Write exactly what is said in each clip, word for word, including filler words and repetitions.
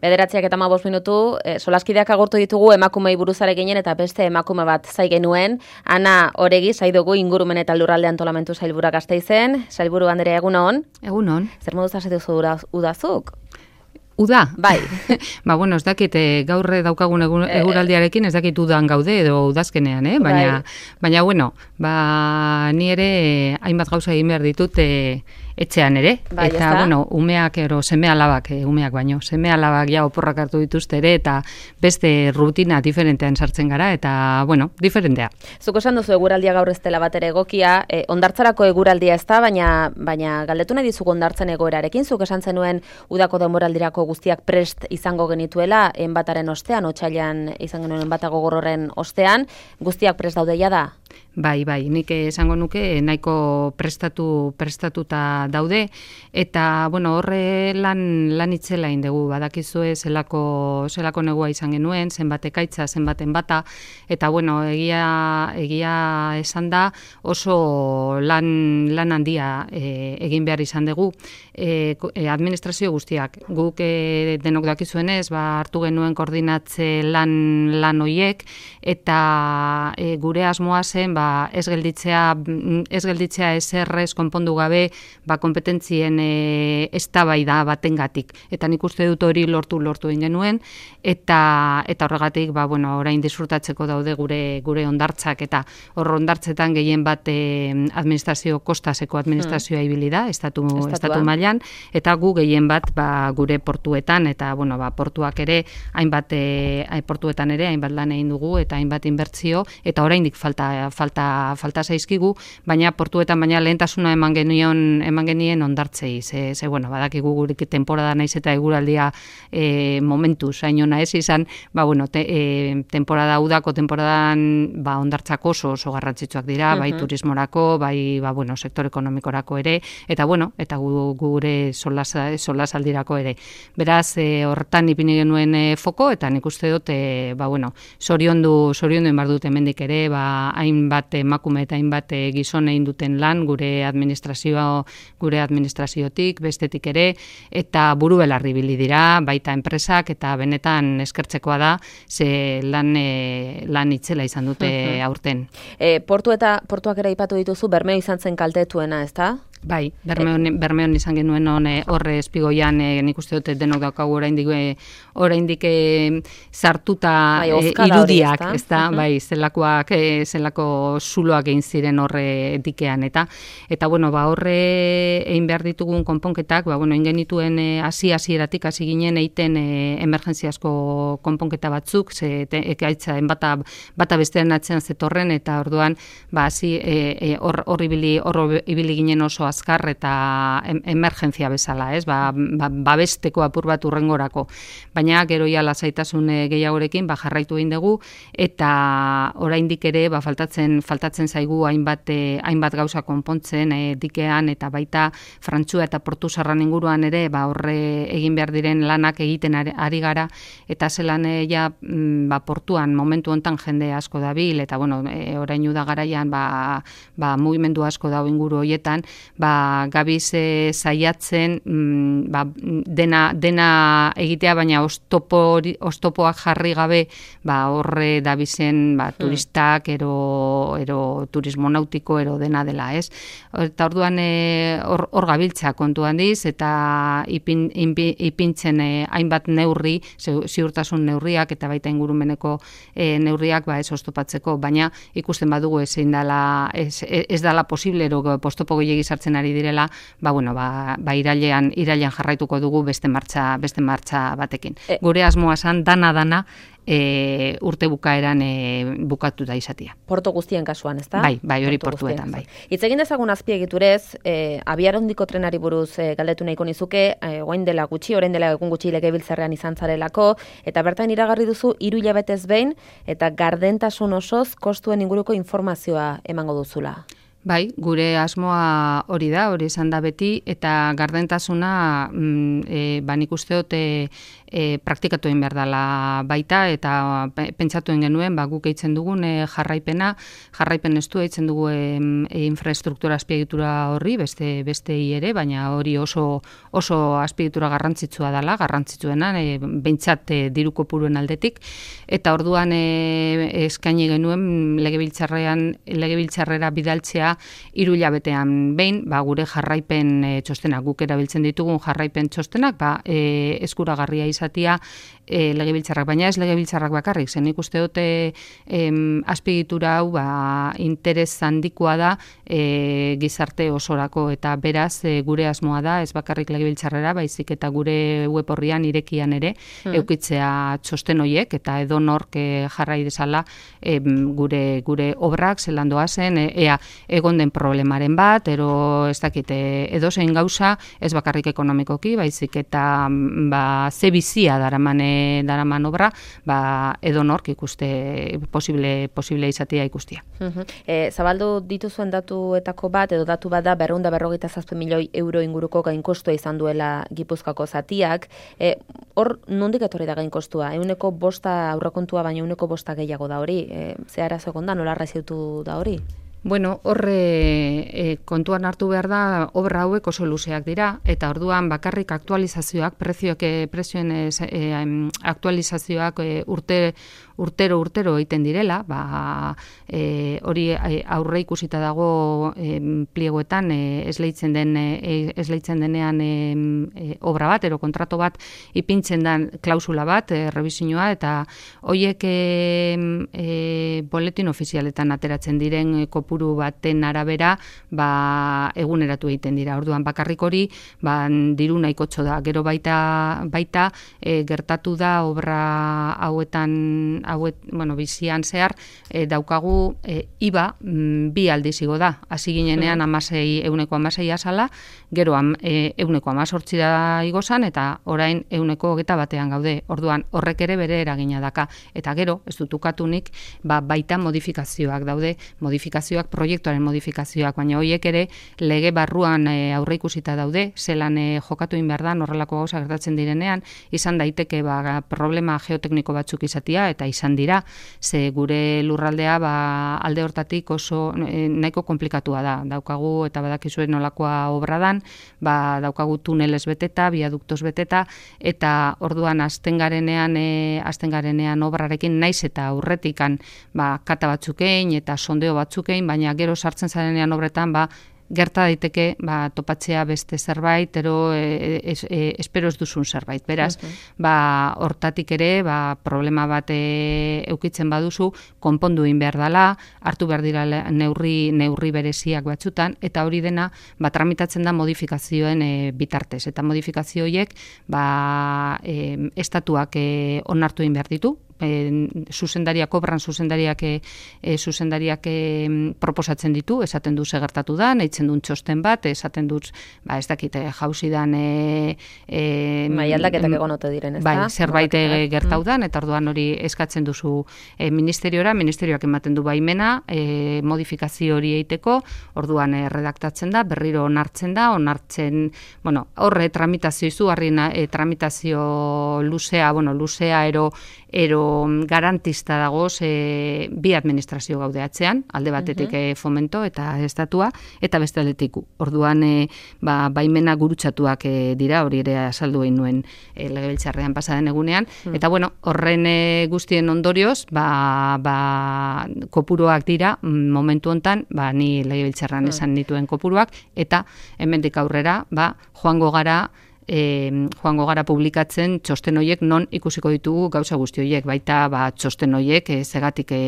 Bederatziak eta hamabost minutu, e, solaskideak agurtu ditugu emakumei buruzare ginen eta beste emakume bat zai genuen. Ana Oregi, zai dugu ingurumen eta lurralde antolamentu sailburua Gasteizen. Sailburu Andrea, egunon? Egunon. Zer moduz hasi duzu udazuk? Uda? Bai. ba, bueno, ez dakit, e, gaur daukagun eguraldiarekin ez dakit udan gaude edo udazkenean, eh? Baina, bai. baina bueno, ba, ni ere hainbat gauza egin behar ditut e, etxean ere. Bai, eta, bueno, umeak, ero, seme alabak, e, umeak baino, seme alabak ja oporrak hartu dituzte ere, eta beste rutina diferentean sartzen gara, eta, bueno, diferentea. Zuko esan duzu eguraldia gaur ez dela bat ere egokia, e, ondartzarako eguraldia ez da, baina, baina galdetu nahi dizugu ondartzen egoerarekin, zuk esan zenuen udako denboraldirako guztiak prest izango genituela, enbataren ostean, otsailean izan genuen enbatago gorroren ostean, guztiak prest daudeia da? Bai, bai, nik esango nuke nahiko prestatu prestatuta daude eta bueno, horre lan lan itzela indegu badakizue zelako zelako negua izan genuen, zenbat ekaitza, zenbaten bata eta bueno, egia egia esan da oso lan lan handia e, egin behar izan dugu e, administrazio guztiak. Guk e, denok dakizuenez, ba hartu genuen koordinatze lan lan hoiek eta e, gure asmoa zen ba ez gelditzea ez gelditzea eserrez konpondu gabe ba konpetentzien e, eztabaida batengatik eta nik uste dut hori lortu lortu egin genuen eta eta horregatik ba bueno orain disfrutatzeko daude gure gure hondartzak eta hor hondartzetan gehien bat e, administrazio kostaseko administrazioa ibili da estatu Estatua. estatu mailan eta gu gehien bat ba gure portuetan eta bueno ba portuak ere hainbat e, portuetan ere hainbat lan egin dugu eta hainbat inbertsio eta oraindik falta falta falta zaizkigu, baina portuetan baina lehentasuna eman genion eman genien hondartzei. Ze, ze bueno, badakigu gurik temporada naiz eta eguraldia e, momentu zainona ez izan, ba bueno, te, e, temporada udako temporadan ba hondartzak oso oso garrantzitsuak dira, uh-huh. bai turismorako, bai ba bueno, sektor ekonomikorako ere eta bueno, eta gu, gure solasa solasaldirako ere. Beraz, e, hortan ipini genuen e, foko eta nik uste dut e, ba bueno, soriondu soriondu inbar dut hemendik ere, ba hainbat emakume eta hainbat gizon egin duten lan gure administrazio gure administraziotik bestetik ere eta buru belarri ibili dira baita enpresak eta benetan eskertzekoa da ze lan e, lan itzela izan dute aurten. E, portu eta portuak ere aipatu dituzu Bermeo izan zen kaltetuena, ezta? Bai, Bermeon, Bermeon izan genuen hone horre espigoian e, nik uste dut denok daukagu oraindik oraindik e, sartuta bai, e, irudiak, hori, ezta? Uh-huh. Bai, zelakoak e, zelako zuloak egin ziren horre dikean eta eta bueno, ba horre egin behar ditugun konponketak, ba bueno, ingenituen hasi e, hasieratik hasi ginen egiten e, emergentziazko konponketa batzuk, ze ekaitza bata bata bestean atzean zetorren eta orduan ba hasi hor e, hor ibili hor ibili ginen oso azkar eta em, emergentzia bezala, ez? Ba, ba, babesteko apur bat urrengorako. Baina gero ja lasaitasun gehiagorekin ba jarraitu egin dugu eta oraindik ere ba faltatzen faltatzen zaigu hainbat eh, hainbat gauza konpontzen eh, dikean eta baita Frantzua eta Portu Sarran inguruan ere ba horre egin behar diren lanak egiten ari gara eta zelan eh, ja ba portuan momentu hontan jende asko dabil eta bueno, eh, orain uda garaian ba ba mugimendu asko dago inguru hoietan ba gabiz e, saiatzen mm, ba, dena dena egitea baina oztopo oztopoak jarri gabe ba horre dabizen ba turistak ero ero turismo nautiko ero dena dela, ez? Eta orduan hor e, hor gabiltza kontu handiz eta ipin, inpi, ipintzen e, hainbat neurri, ziurtasun neurriak eta baita ingurumeneko e, neurriak ba ez oztopatzeko, baina ikusten badugu ezin dela ez, ez dela posible ero postopo gehiegi sartzen ari direla, ba bueno, ba, ba irailean irailean jarraituko dugu beste martxa beste martxa batekin. E, Gure asmoa san dana dana e, urte bukaeran e, bukatuta izatea. Porto guztien kasuan, ezta? Bai, bai, hori Porto portuetan bai. Hitz egin dezagun azpiegiturez, e, abiarondiko trenari buruz e, galdetu nahiko nizuke, e, orain dela gutxi, orain dela egun gutxi legebiltzarrean izan zarelako eta bertan iragarri duzu hiru hilabetez behin eta gardentasun osoz kostuen inguruko informazioa emango duzula. Bai, gure asmoa hori da, hori izan da beti, eta gardentasuna mm, e, ba nik usteot e, e, praktikatu egin behar dela baita, eta pentsatu egin genuen, ba, guk eitzen dugun e, jarraipena, jarraipen estu eitzen dugu e, e, infrastruktura azpiegitura horri, beste bestei ere, baina hori oso oso azpiegitura garrantzitsua dela, garrantzitsuena, e, behintzat e, diru kopuruen aldetik, eta orduan e, eskaini genuen legebiltzarrean legebiltzarrera bidaltzea hiru hilabetean behin, ba, gure jarraipen e, txostenak, guk erabiltzen ditugun jarraipen txostenak, ba, e, eskuragarria izatia e, legebiltzarrak, baina ez legebiltzarrak bakarrik, zen ikuste dute e, azpiegitura hau ba, interes handikoa da e, gizarte osorako, eta beraz e, gure asmoa da, ez bakarrik legebiltzarrera, baizik eta gure web horrian irekian ere, hmm. eukitzea txosten hoiek, eta edo nork e, jarrai dezala e, gure, gure obrak zelan doazen, e, ea egon den problemaren bat, ero ez dakite, edo zein gauza, ez bakarrik ekonomikoki, baizik eta ba, ze bizia daraman, daraman obra, ba, edo nork ikuste posible, posible izatea ikustia. Uh-huh. E, zabaldu dituzuen datuetako bat, edo datu bat da, berrehun eta berrogeita zazpi milioi euro inguruko gainkostua izan duela Gipuzkoako zatiak. E, hor, nondik etorri da gainkostua? Euneko bosta aurrekontua, baina euneko bosta gehiago da hori. E, ze arazo egon da, nola arraziutu da hori? Bueno, horre e, kontuan hartu behar da, obra hauek oso luzeak dira, eta orduan bakarrik aktualizazioak, prezioak, prezioen e, aktualizazioak e, urte, urtero urtero egiten direla, ba, e, hori aurre ikusita dago e, pliegoetan e, esleitzen den e, esleitzen denean e, e, obra bat, ero kontrato bat ipintzen den klausula bat, e, revisioa, eta horiek e, e, boletin ofizialetan ateratzen diren e, kopuru baten arabera ba, eguneratu egiten dira. Orduan bakarrik hori ba, diru nahikotxo da. Gero baita, baita e, gertatu da obra hauetan hauet, bueno, bizian zehar e, daukagu e, I B A m, bi aldiz igo da. Hasi ginenean amasei, euneko amasei azala, gero am, e, euneko amazortzi da igozan, eta orain euneko hogeta batean gaude. Orduan horrek ere bere eragina daka. Eta gero, ez dut ukatunik, ba, baita modifikazioak daude, modifikazioak, proiektuaren modifikazioak, baina horiek ere lege barruan e, aurre ikusita daude, zelan e, jokatu in behar da, horrelako gauza gertatzen direnean, izan daiteke ba, problema geotekniko batzuk izatia, eta izan dira, ze gure lurraldea ba, alde hortatik oso e, nahiko komplikatua da. Daukagu, eta badakizuen nolakoa obradan, ba, daukagu tunelez beteta, biaduktos beteta, eta orduan azten garenean, e, azten garenean obrarekin naiz eta aurretikan ba, kata batzukein eta sondeo batzukein, baina gero sartzen zarenean obretan, ba, gerta daiteke ba, topatzea beste zerbait, ero e, es, e, espero ez duzun zerbait. Beraz, okay. ba, hortatik ere ba, problema bat e, eukitzen baduzu, konpondu egin behar dela, hartu behar dira neurri, neurri bereziak batzutan, eta hori dena ba, tramitatzen da modifikazioen e, bitartez. Eta modifikazio horiek ba, e, estatuak e, onartu egin behar ditu, E, zuzendariak, obran zuzendariak e, zuzendariak e, proposatzen ditu, esaten du segertatu da, nahitzen duen txosten bat, esaten dut, ba, ez dakite, jauzidan e, e, bai, aldaketak egon ote diren, ez da? Bai, zerbait e, gertaudan, eta orduan hori eskatzen duzu e, ministeriora, ministerioak ematen du baimena, e, modifikazio hori eiteko, orduan e, redaktatzen da, berriro onartzen da, onartzen, bueno, horre tramitazio izu, harri e, tramitazio luzea, bueno, luzea ero, ero garantista dagoz e, bi administrazio gaudeatzean, alde batetik uh-huh. e, fomento eta estatua, eta beste aldetik orduan e, ba, baimena gurutzatuak e, dira, hori ere azaldu egin nuen e, legebiltzarrean pasaden egunean, uh-huh. eta bueno, horren e, guztien ondorioz, ba, ba, kopuruak dira, momentu hontan, ba, ni legebiltzarrean uh-huh. esan dituen kopuruak, eta hemendik aurrera, ba, joango gara, E, joango gara publikatzen txosten horiek non ikusiko ditugu gauza guzti horiek, baita ba, txosten horiek e, zegatik e,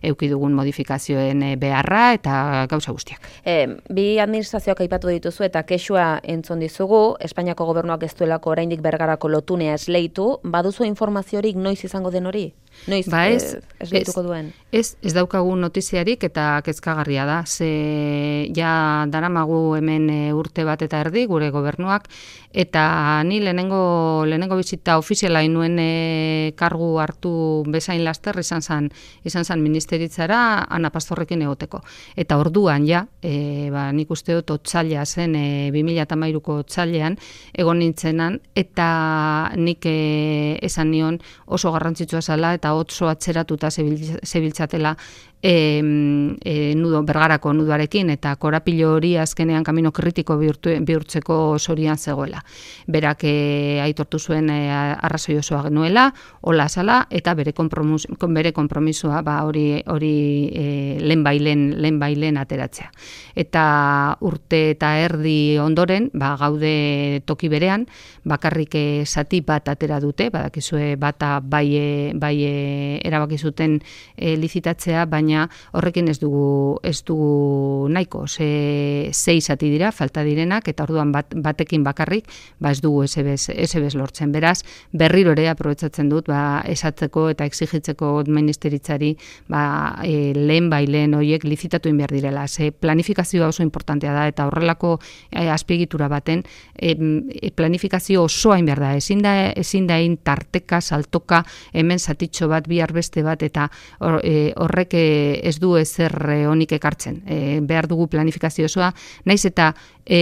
euki dugun modifikazioen e, beharra eta gauza guztiak. E, bi administrazioak aipatu dituzu eta kexua entzun dizugu, Espainiako gobernuak ez duelako oraindik Bergarako lotunea esleitu, baduzu informaziorik noiz izango den hori? Noiz ba ez, eh, esleituko duen? Ez, ez daukagu notiziarik eta kezkagarria da. Ze ja daramagu hemen e, urte bat eta erdi gure gobernuak, eta ni lehenengo, lehenengo bizita ofiziala inuen e, kargu hartu bezain laster izan zan, izan zan ministeritzara Ana Pastorrekin egoteko. Eta orduan ja, e, ba, nik uste dut otsaila zen e, bi mila hamairuko otsailean egon nintzenan, eta nik e, esan nion oso garrantzitsua zela eta oso atzeratuta zebiltzatela e, e, nudo, bergarako nudoarekin, eta korapilo hori azkenean kamino kritiko bihurtu, bihurtzeko zorian zegoela. Berak e, aitortu zuen e, arrazoi osoa genuela, hola zala, eta bere, kompromis, bere kompromisua ba, hori, hori e, lehen bailen, lehen bailen ateratzea. Eta urte eta erdi ondoren, ba, gaude toki berean, bakarrik zati bat atera dute, badakizue bata bai, bai erabaki zuten e, lizitatzea, baina horrekin ez dugu ez dugu nahiko, ze sei zati dira falta direnak, eta orduan bat, batekin bakarrik ba ez dugu S B S lortzen. Beraz, berriro ere aprobetxatzen dut ba esatzeko eta exigitzeko ministeritzari ba e, lehen bailen horiek lizitatu in behar direla. Ze planifikazioa oso importantea da, eta horrelako e, azpiegitura baten e, planifikazio osoa in behar da. Ezin da ezin da in tarteka, saltoka, hemen zatitxo bat, bihar beste bat, eta hor, e, horrek ez du ezer honik ekartzen. E, behar dugu planifikazio osoa, naiz eta e,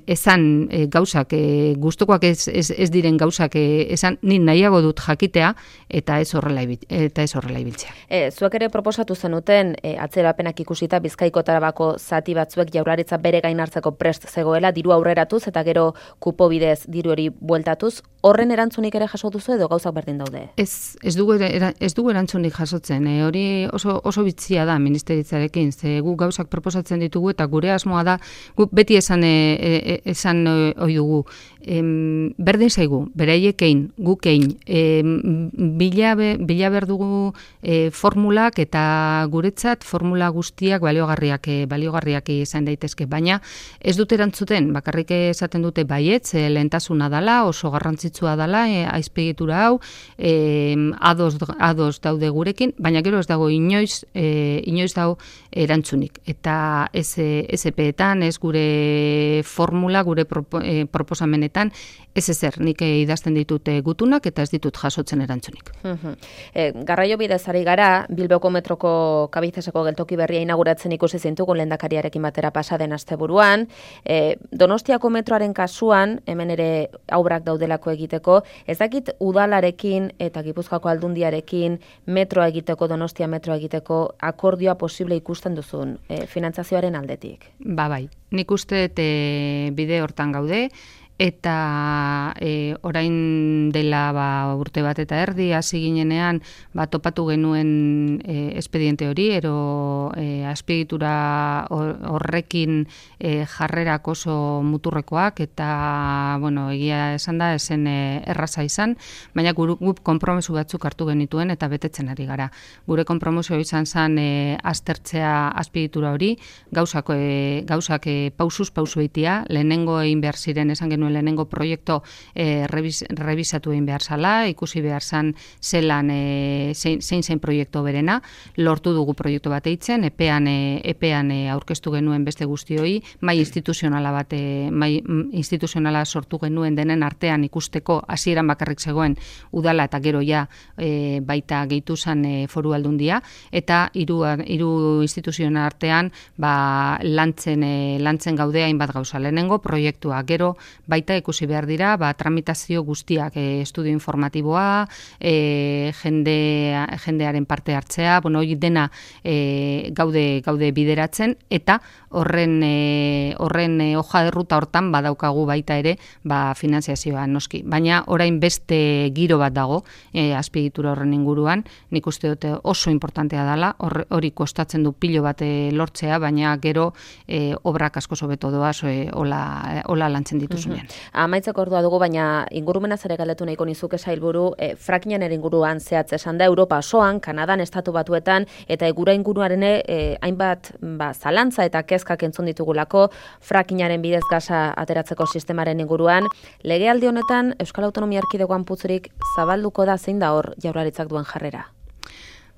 esan e, gauzak, e, gustukoak ez, ez, ez diren gauzak e, esan, ni nahiago dut jakitea, eta ez horrela eta ez horrela ibiltzea. E, zuek ere proposatu zenuten, e, atzerapenak ikusita Bizkaiko Tarabako zati batzuek Jaurlaritza bere gain hartzeko prest zegoela, diru aurreratuz eta gero kupo bidez diru hori bueltatuz, horren erantzunik ere jaso duzu edo gauzak berdin daude? Ez, ez dugu ez dugu erantzunik jasotzen. E, hori oso oso bitzia da ministeritzarekin, ze gu gauzak proposatzen ditugu, eta gure asmoa da, gu beti esan e, e, esan ohi dugu, em, berdin zaigu, beraiekein, gukein, em, bila, be, bila berdugu e, formulak, eta guretzat formula guztiak baliogarriak, e, baliogarriak izan daitezke, baina ez dute erantzuten, bakarrik esaten dute baietz, e, lehentasuna dala, oso garrantzitsua dala, e, aizpegitura hau, e, ados, ados daude gurekin, baina gero ez dago inoiz, e, inoiz dago erantzunik. Eta ez S P-etan, ez gure formula, gure propo, e, proposamenetan, ez ezer, nik idazten ditut gutunak eta ez ditut jasotzen erantzunik. Uh-huh. E, garraio bidez ari gara, Bilboko metroko Kabizeseko geltoki berria inauguratzen ikusi zintugun lehendakariarekin batera pasaden asteburuan. E, Donostiako metroaren kasuan, hemen ere obrak daudelako egiteko, ez dakit udalarekin eta Gipuzkoako aldundiarekin metroa egiteko, Donostia metroa egiteko akordioa posible ikusten duzun, e, finantzazioaren aldetik? Ba bai, nik uste e, bide hortan gaude, eta e, orain dela ba, urte bat eta erdi hasi ginenean ba, topatu genuen e, espediente hori, ero e, azpiegitura horrekin e, jarrerak oso muturrekoak, eta bueno, egia esan da esen e, erraza izan, baina guk konpromesu batzuk hartu genituen eta betetzen ari gara. Gure konpromesu izan zen e, aztertzea azpiegitura hori, gauzak, e, gauzak e, pausuz pausu eitia, lehenengo egin behar ziren esan genuen lehenengo proiektu e, revis, revisatu egin behar zala, ikusi behar zan zelan e, zein, zein zein proiektu berena, lortu dugu proiektu bat eitzen, epean, e, epean e, aurkeztu genuen beste guztioi, mai instituzionala bat, e, mai instituzionala sortu genuen denen artean ikusteko hasieran bakarrik zegoen udala eta gero ja e, baita gehitu zan e, foru aldundia, eta hiru hiru instituzioen artean ba, lantzen, e, lantzen gaude hainbat gauza. Lehenengo proiektua, gero baita ikusi behar dira, ba, tramitazio guztiak, e, estudio informatiboa, e, jende, jendearen parte hartzea, bueno, hori dena e, gaude, gaude bideratzen, eta horren, e, horren e, hoja de ruta hortan badaukagu baita ere ba, finanziazioa noski. Baina orain beste giro bat dago, e, azpiegitura horren inguruan, nik uste dute oso importantea dela, hori kostatzen du pilo bat e, lortzea, baina gero e, obrak asko sobeto doaz, e, hola, hola lantzen dituzunean. Mm-hmm. Amaitzeko ordua dugu, baina ingurumenaz ere galdetu nahiko nizuke sailburu, e, frackingen ere inguruan zehatz esan da, Europa osoan, Kanadan, Estatu Batuetan, eta egura inguruaren e, hainbat ba, zalantza eta kezkak entzun ditugulako, frackingaren bidez gaza ateratzeko sistemaren inguruan. Legealdi honetan, Euskal Autonomia Erkidegoan putzurik zabalduko da, zein da hor Jaurlaritzak duen jarrera?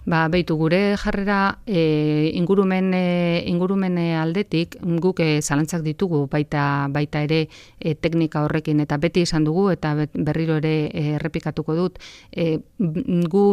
Ba, beitu, gure jarrera e, ingurumen, e, ingurumen aldetik guk e, zalantzak ditugu baita, baita ere e, teknika horrekin, eta beti izan dugu, eta berriro ere e, errepikatuko dut, e, gu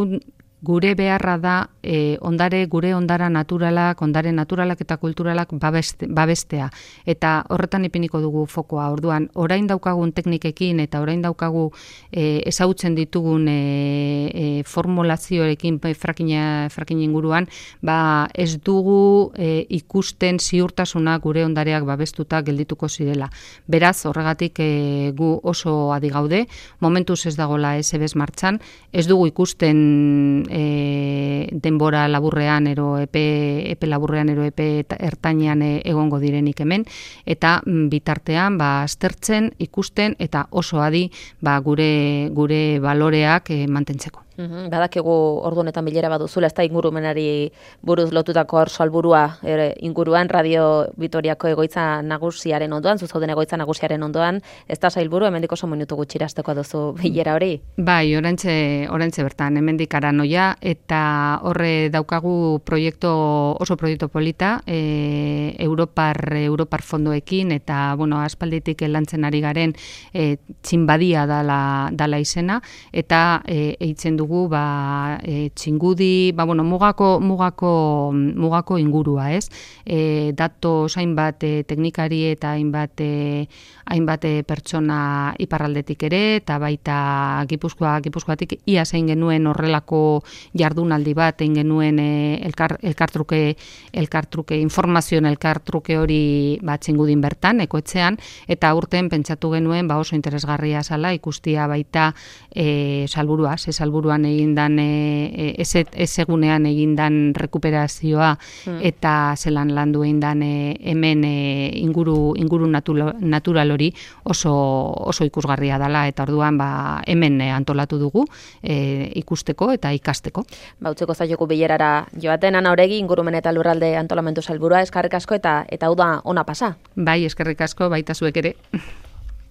gure beharra da e, ondare, gure ondara naturalak, ondare naturalak eta kulturalak babeste, babestea. Eta horretan ipiniko dugu fokoa. Orduan, orain daukagun teknikekin eta orain daukagu e, ezagutzen ditugun e, e, formulazioekin frakina, frakin inguruan, ba ez dugu e, ikusten ziurtasuna gure ondareak babestuta geldituko zirela. Beraz, horregatik e, gu oso adi gaude, momentuz ez dagoela S B S martxan, ez dugu ikusten E, denbora laburrean ero epe, epe laburrean ero epe ertainean e, egongo direnik hemen, eta bitartean ba, aztertzen, ikusten eta oso adi ba, gure, gure baloreak e, mantentzeko. Uhum, badakigu ordu honetan bilera baduzula, ez da ingurumenari buruz lotutako hor salburua ere, inguruan Radio Vitoriako egoitza nagusiaren ondoan, zuzauden egoitza nagusiaren ondoan, ez da sailburu, hemendik oso minutu gutxirasteko duzu bilera hori? Bai, orantxe, orantxe bertan, hemendik aranoia, eta horre daukagu proiektu, oso proiektu polita, e, Europar, Europar fondoekin, eta, bueno, aspalditik lantzen ari garen e, txinbadia dala, dala izena, eta e, eitzen du ba e, txingudi, ba bueno, mugako mugako mugako ingurua, ez? E, dato hainbat e, teknikari eta hainbat e, hainbat e, pertsona iparraldetik ere eta baita Gipuzkoa, Gipuzkoatik ia zein genuen horrelako jardunaldi bat, egin genuen e, elkar, elkartruke elkartruke informazioen elkartruke hori ba txingudin bertan ekoetxean, eta urten pentsatu genuen ba oso interesgarria zala ikustia baita e, salburua, ze salburua egindan e, ez egunean egindan rekuperazioa hmm. eta zelan landu egindan e, hemen e, inguru inguru natural, natural hori oso oso ikusgarria dela, eta orduan ba hemen e, antolatu dugu e, ikusteko eta ikasteko. Ba utzeko zaioku bilerara joaten Ana Oregi ingurumen eta lurralde antolamendu sailburua, eskerrik asko eta eta hau da ona pasa. Bai, eskerrik asko baita zuek ere.